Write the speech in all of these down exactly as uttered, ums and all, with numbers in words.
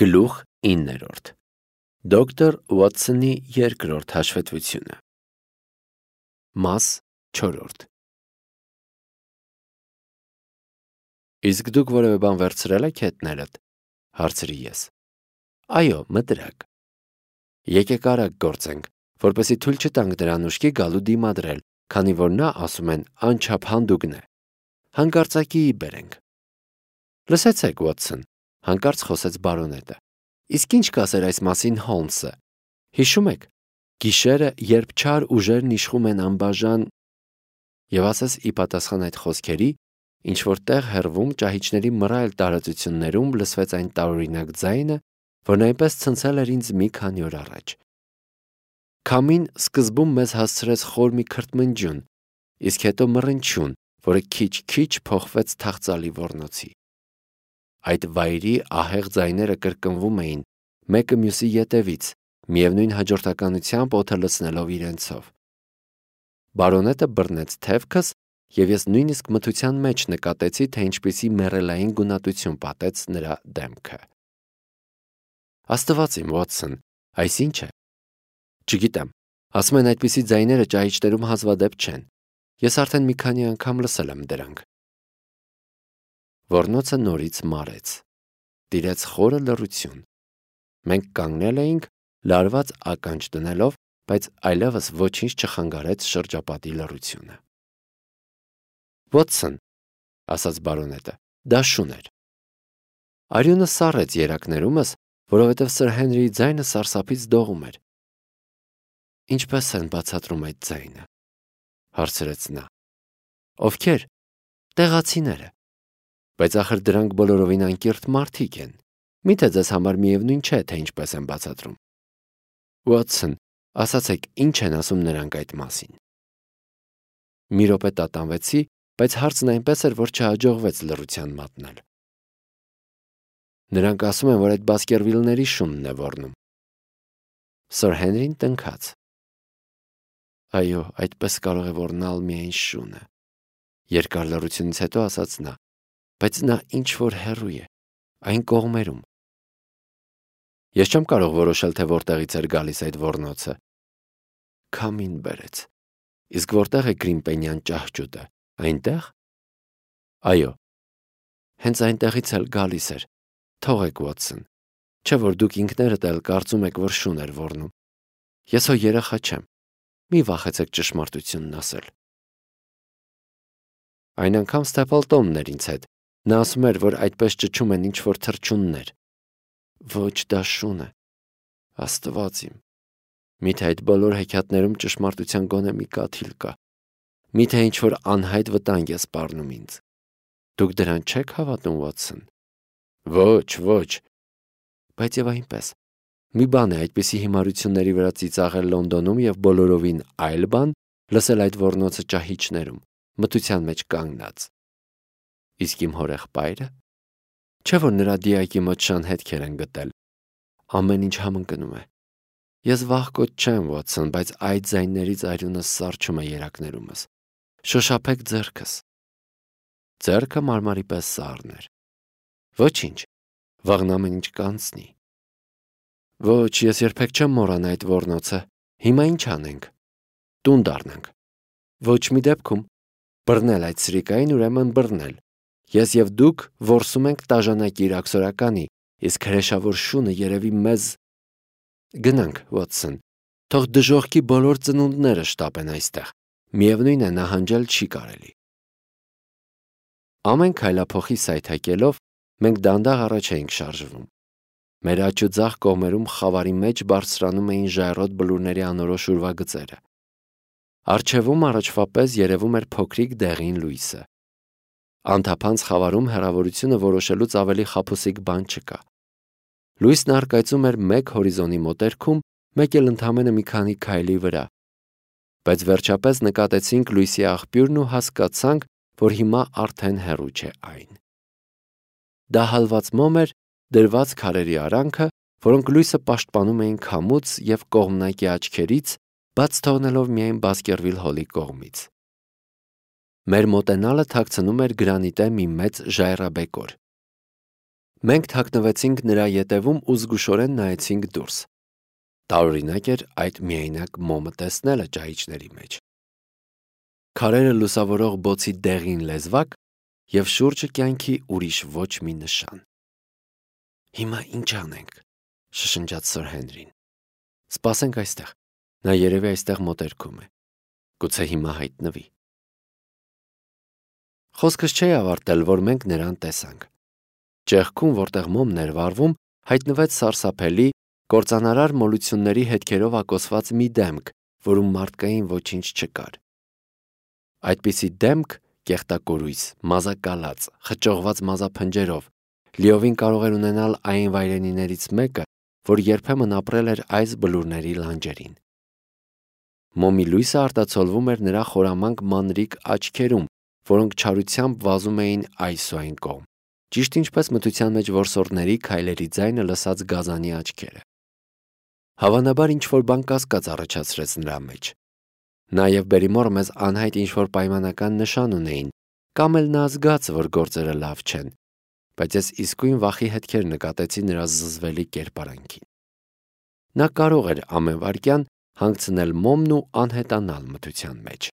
Գլուխ իններորդ Դոկտոր Ուոթսոնի երկրորդ հաշվետվությունը Մաս չորրորդ Իսկ դուք որևէ բան վերցրել եք հետներդ, հարցրի ես։ Այո, մտրակ։ Եկեք արագ գործենք, որպեսզի թույլ չտանք նրան ուշքի գալու դիմադրել, քանի որ նա, ասում են, անչափ հանդուգն է։ Հանկարծակիի բերենք։ Լսեցեք, Ուոթսոն, հանկարծ խոսեց բարոնետը։ Իսկ ինչ կասեր այս մասին Հոլմսը։ Հիշում եք, գիշերը, երբ չար ուժերն իշխում են անբաժան, եւ ասես ի պատասխան այդ խոսքերի, ինչ որ տեղ հեռվում ճահիճների մռայլ տարածություններում լսվեց այն տարօրինակ ձայնը, որն այնպես ցնցել էր ինձ մի քանի օր առաջ։ Քամին սկզբում մեզ հասցրեց խոր մի քրթմնջյուն, իսկ հետո մռնչյուն, որը քիչ-քիչ փոխվեց թախծալի ոռնոցի։ Այդ վայրի ահեղ ձայները կրկնվում էին մեկը մյուսի ետևից, միևնույն հաջորդականությամբ օդը լցնելով իրենցով։ Բարոնետը բռնեց թևքս, եւ ես նույնիսկ մթության մեջ նկատեցի, թե ինչպիսի մեռելային գունատություն պատեց նրա դեմքը։ Աստված իմ, Ուոթսոն, այս ի՞նչ է։ Չգիտեմ, ասում են այդպիսի ձայները ճահիճներում հազվադեպ չեն։ Ես արդեն մի քանի անգամ լսել եմ դրանք։ Ոռնոցը նորից մարեց։ Տիրեց խորը լռություն։ Մենք կանգնել էինք, լարված ականջ դնելով, բայց այլևս ոչինչ չխանգարեց շրջապատի լռությունը։ Ուոթսոն, ասաց բարոնետը, դա շուն էր։ Արյունը սառեց երակներումս, որովհետև Սր Հենրիի ձայնը սարսափից դողում էր։ Ինչպե՞ս են բացատրում այդ ձայնը, հարցրեց նա։ Ովքեր։ Տեղացիները։ Բայց ախր դրանք բոլորովին անկիրթ մարդիկ են։ Միթե ձեզ համար միևնույն չէ, թե ինչպես են բացատրում։ Ուոթսոն, ասացեք, ինչ են ասում նրանք այդ մասին։ Մի րոպե տատանվեցի, բայց հարցն այնպես էր, որ չհաջողվեց լռության մատնել։ Նրանք ասում են, որ այդ Բասկերվիլների շունն է ոռնում։ Սր Հենրին տնքաց։ Այո, այդպես կարող է ոռնալ միայն շունը։ Երկար լռությունից հետո ասաց նա, բայց նա ինչ որ հեռու է, այն կողմերում։ Ես չեմ կարող որոշել, թե որտեղից էր գալիս այդ ոռնոցը։ Քամին բերեց։ Իսկ որտեղ է Գրիմպենյան ճահճուտը։ Այնտեղ։ Այո։ Հենց այնտեղից էլ գալիս էր։ Թողեք, Ուոթսոն, չէ որ դուք ինքներդ էլ կարծում եք, որ շուն էր ոռնում։ Ես հո երեխա չեմ։ Մի վախեցեք ճշմարտությունն ասել։ Այն անգամ Ստեփլտոնն էր ինձ հետ։ Նա ասում էր, որ այդպես ճչում են ինչ որ թռչուններ։ Ոչ, դա շուն է։ Աստված իմ։ Միթե այդ բոլոր հեքիաթներում ճշմարտության գոնե մի կաթիլ կա։ Միթե ինչ որ անհայտ վտանգ է սպառնում ինձ։ Դուք դրան չեք հավատում, Ուոթսոն։ Ոչ, ոչ։ Բայց եւ այնպես։ Մի բան է այդպիսի հիմարությունների վրա ծիծաղել Լոնդոնում եւ բոլորովին այլ բան լսել այդ ոռնոցը ճահիճներում, մթության մեջ կանգնած։ Իսկ իմ հորեղբայրը։ Չէ որ նրա դիակի մոտ շան հետքեր են գտել։ Ամեն ինչ համընկնում է։ Ես վախկոտ չեմ, Ուոթսոն, բայց այդ ձայներից արյունը սառչում է երակներումս։ Շոշափեք ձեռքս։ Ձեռքը մարմարի պես սառն էր։ Ոչինչ, վաղն ամեն ինչ կանցնի։ Ոչ, ես երբեք չեմ մոռանա այդ ոռնոցը։ Հիմա ինչ անենք։ Տուն դառնանք։ Ոչ մի դեպքում։ Բռնել այդ սրիկային, ուրեմն բռնել։ Ես եւ դուք որսում ենք տաժանակիր աքսորականի, իսկ հրեշավոր շունը երևի մեզ։ Գնանք, Ուոթսոն, թող դժոխքի բոլոր ծնունդները շտապեն այստեղ։ Միևնույն է, նահանջել չի կարելի։ Ամեն քայլափոխի սայթակելով մենք դանդաղ առաջ էինք շարժվում։ Մեր աջ ու ձախ կողմերում խավարի մեջ բարձրանում էին ժայռոտ բլուրների անորոշ ուրվագծերը։ Առջևում առաջվա պես երևում էր փոքրիկ դեղին լույսը։ Անթափանց խավարում հեռավորությունը որոշելուց ավելի խաբուսիկ բան չկա։ Լույսն առկայծում էր մեկ հորիզոնի մոտերքում, մեկ էլ ընդամենը մի քանի քայլի վրա։ Բայց վերջապես նկատեցինք լույսի աղբյուրն ու հասկացանք, որ հիմա արդեն հեռու չէ այն։ Դա հալված մոմ էր, դրված քարերի արանքը, որոնք լույսը պաշտպանում էին քամուց եւ կողմնակի աչքերից, բաց թողնելով միայն Բասկերվիլ հոլի կողմից։ Մեր մոտենալը թաքցնում էր գրանիտե մի մեծ ժայռաբեկոր։ Մենք թաքնվեցինք նրա ետևում ու զգուշորեն նայեցինք դուրս։ Տարօրինակ էր այդ միայնակ մոմը տեսնելը ճահիճների մեջ։ Քարերը լուսավորող բոցի դեղին լեզվակ և շուրջը կյանքի ուրիշ ոչ մի նշան։ Հիմա ինչ անենք, շշնջաց Սըր Հենրին։ Սպասենք այստեղ, նա երևի այստեղ մոտերքում է, գուցե հիմա հայտնվի։ Խոսքս չէի ավարտել, որ մենք նրան տեսանք։ Ճեղքում, որտեղ մոմն էր վառվում, հայտնվեց սարսափելի, կործանարար մոլությունների հետքերով ակոսված մի դեմք, որում մարդկային ոչինչ չկար։ Այդպիսի դեմք, կեղտակորույս, մազակալած, խճողված մազափնջերով, լիովին կարող էր ունենալ այն վայրենիներից մեկը, որ երբեմն ապրել էր այս բլուրների լանջերին։ Մոմի լույսը արտացոլվում էր նրա խորամանկ մանրիկ աչքերում, որոնք չարությամբ վազում էին այս ու այն կողմ, ճիշտ ինչպես մթության մեջ որսորդների քայլերի ձայնը լսած գազանի աչքերը։ Հավանաբար ինչ-որ բան կասկած առաջացրեց նրա մեջ։ Նա և Բերիմորը մեզ անհայտ ինչ-որ պայմանական նշան ունեին, կամ էլ նա զգաց, որ գործերը լավ չեն, բայց ես իսկույն վախի հետքեր նկատեցի նրա զզվելի կերպարանքին։ Նա կարող էր ամեն վայրկյան հանգցնել մոմն ու անհետանալ մթության մեջ։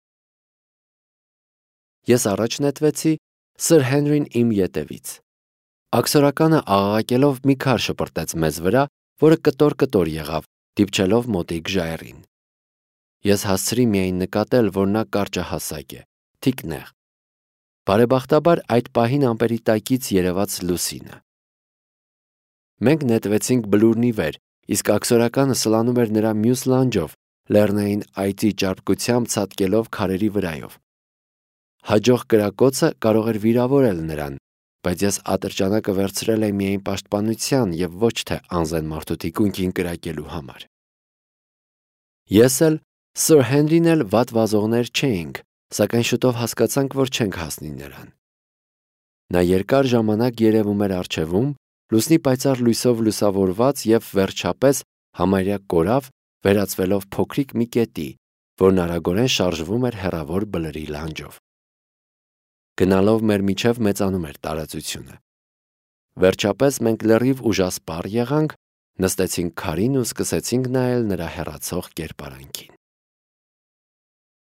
Ես առաջ նետվեցի, Սըր Հենրին իմ ետևից։ Աքսորականը աղաղակելով մի քար շպրտեց մեզ վրա, որը կտոր-կտոր եղավ, դիպչելով մոտիկ ժայռին։ Ես հասցրի միայն նկատել, որ նա կարճահասակ է, թիկնեղ։ Բարեբախտաբար այդ պահին ամպերի տակից երևաց լուսինը։ Մենք նետվեցինք բլուրնի վեր, իսկ աքսորականը սլանում էր նրա մյուս լանջով, լեռնային այծի ճարպկությամբ ցատկելով քարերի վրայով։ Հաջող կրակոցը կարող էր վիրավորել նրան, բայց ես ատրճանակը վերցրել էի միայն պաշտպանության և ոչ թե անզեն մարդու թիկունքին կրակելու համար։ Ես էլ, Սըր Հենրին էլ վատ վազողներ չէինք, սակայն շուտով հասկացանք, որ չենք հասնի նրան։ Նա երկար ժամանակ երևում էր առջևում, լուսնի պայծառ լույսով լուսավորված և վերջապես համարյա կորավ, վերածվելով փոքրիկ մի կետի, որն արագորեն շարժվում էր հեռավոր բլրի լանջով։ Գնալով մեր միջև մեծանում էր տարածությունը։ Վերջապես մենք լրիվ ուժասպառ եղանք, նստեցինք քարին ու սկսեցինք նայել նրա հեռացող կերպարանքին։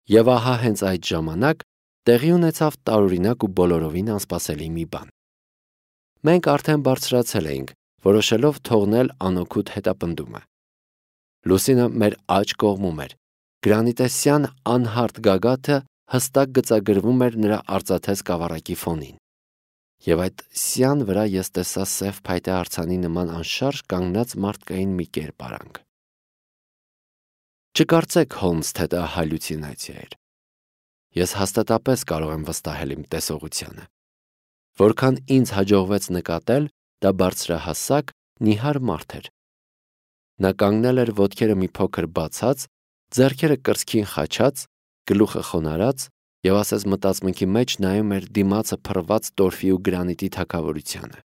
Եվ ահա հենց այդ ժամանակ տեղի ունեցավ տարօրինակ ու բոլորովին անսպասելի մի բան։ Մենք արդեն բարձրացել էինք, որոշելով թողնել անօգուտ հետապնդումը։ Լուսինը մեր աջ կողմում էր, գրանիտեսյան անհարթ գագաթը հստակ գծագրվում էր նրա արծաթե սկավառակի ֆոնին։ Եվ այդ սյան վրա ես տեսա սև փայտե արձանի նման անշարժ կանգնած մարդկային մի կերպարանք։ Չկարծեք, Հոլմս, թե դա հալյուցինացիա էր։ Ես հաստատապես կարող եմ վստահել իմ տեսողությանը։ Որքան ինձ հաջողվեց նկատել, դա բարձրահասակ, նիհար մարդ էր։ Նա կանգնել էր ոտքերը մի փոքր բացած, ձեռքերը կրծքին խաչած, գլուխը խոնարհած և ասես մտածմունքի մեջ նայում էր դիմացը փռված տորֆի ու գրանիտի թագավորությանը։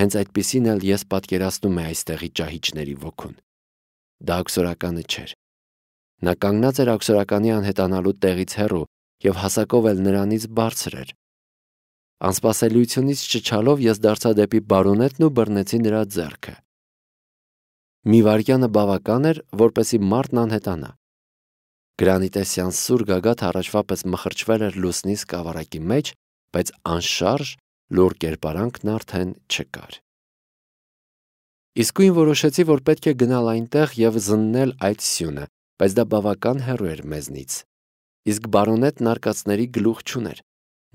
Հենց այդպիսին էլ ես պատկերացնում եմ այստեղի ճահիճների ոգուն։ Դա աքսորականը չէր։ Նա կանգնած էր աքսորականի անհետանալու տեղից հեռու և հասակով էլ նրանից բարձր էր։ Անսպասելիությունից չչալով ես դարձա դեպի բարոնետն ու բռնեցի նրա ձեռքը։ Մի վայրկյանը բավական էր, որպեսզի մարդն անհետանա։ Գրանիտեսյան սուր գագաթը առաջվա պես մխրճվել էր լուսնի սկավառակի մեջ, բայց անշարժ, լուռ կերպարանքն արդեն չկար։ Իսկույն որոշեցի, որ պետք է գնալ այնտեղ և զննել այդ սյունը, բայց դա բավական հեռու էր մեզնից։ Իսկ բարոնետն արկածների գլուխ չուներ։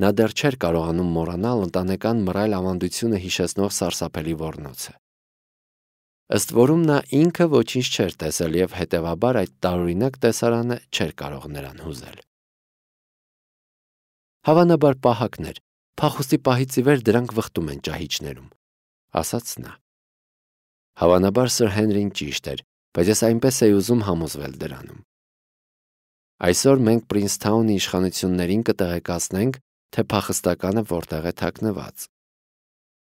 Նա դեռ չէր կարողանում մոռանալ ընտանեկան մռայլ ավանդությունը հիշեցնող սարսափելի ոռնոցը։ Ըստ որում նա ինքը ոչինչ չէր տեսել և հետևաբար այդ տարօրինակ տեսարանը չէր կարող նրան հուզել։ Հավանաբար պահակներ, փախուստի պահից ի վեր դրանք վխտում են ճահիճներում, ասաց նա։ Հավանաբար Սըր Հենրին ճիշտ էր, բայց ես այնպես էի ուզում համոզվել դրանում։ Այսօր մենք Պրինսթաունի իշխանություններին կտեղեկացնենք, թե փախստականը որտեղ է թաքնված։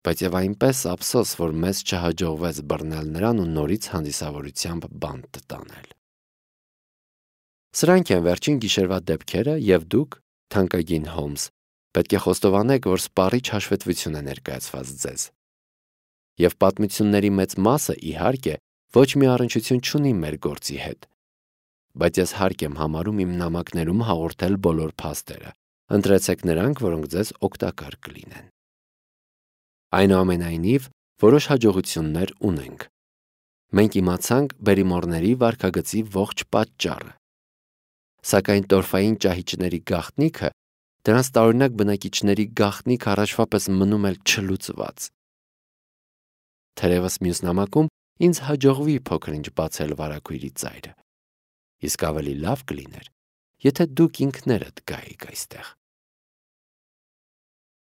Բայց և այնպես ափսոս, որ մեզ չհաջողվեց բռնել նրան ու նորից հանդիսավորությամբ բանտ տանել։ Սրանք են վերջին գիշերվա դեպքերը և դուք, թանկագին Հոլմս, պետք է խոստովանեք, որ սպառիչ հաշվետվություն է ներկայացված ձեզ։ Եվ պատմությունների մեծ մասը, իհարկե, ոչ մի առնչություն չունի մեր գործի հետ։ Բայց ես հարկ եմ համարում իմ նամակներում հաղորդել բոլոր փաստերը։ Ընտրեցեք նրանք, որոնք ձեզ օգտակար կլինեն։ Այնուամենայնիվ, որոշ հաջողություններ ունենք։ Մենք իմացանք բերիմորների վարքագծի ողջ պատճառը։ Սակայն տորֆային ճահիճների գաղտնիքը դրանց տարօրինակ բնակիչների գաղտնիք առաջվա պես մնում էլ չլուծված։ Թերևս մյուս նամակում ինձ հաջողվի փոքր-ինչ բացել վարագույրի ծայրը։ Իսկ ավելի լավ կլիներ, եթե դուք ինքներդ գայիք այստեղ։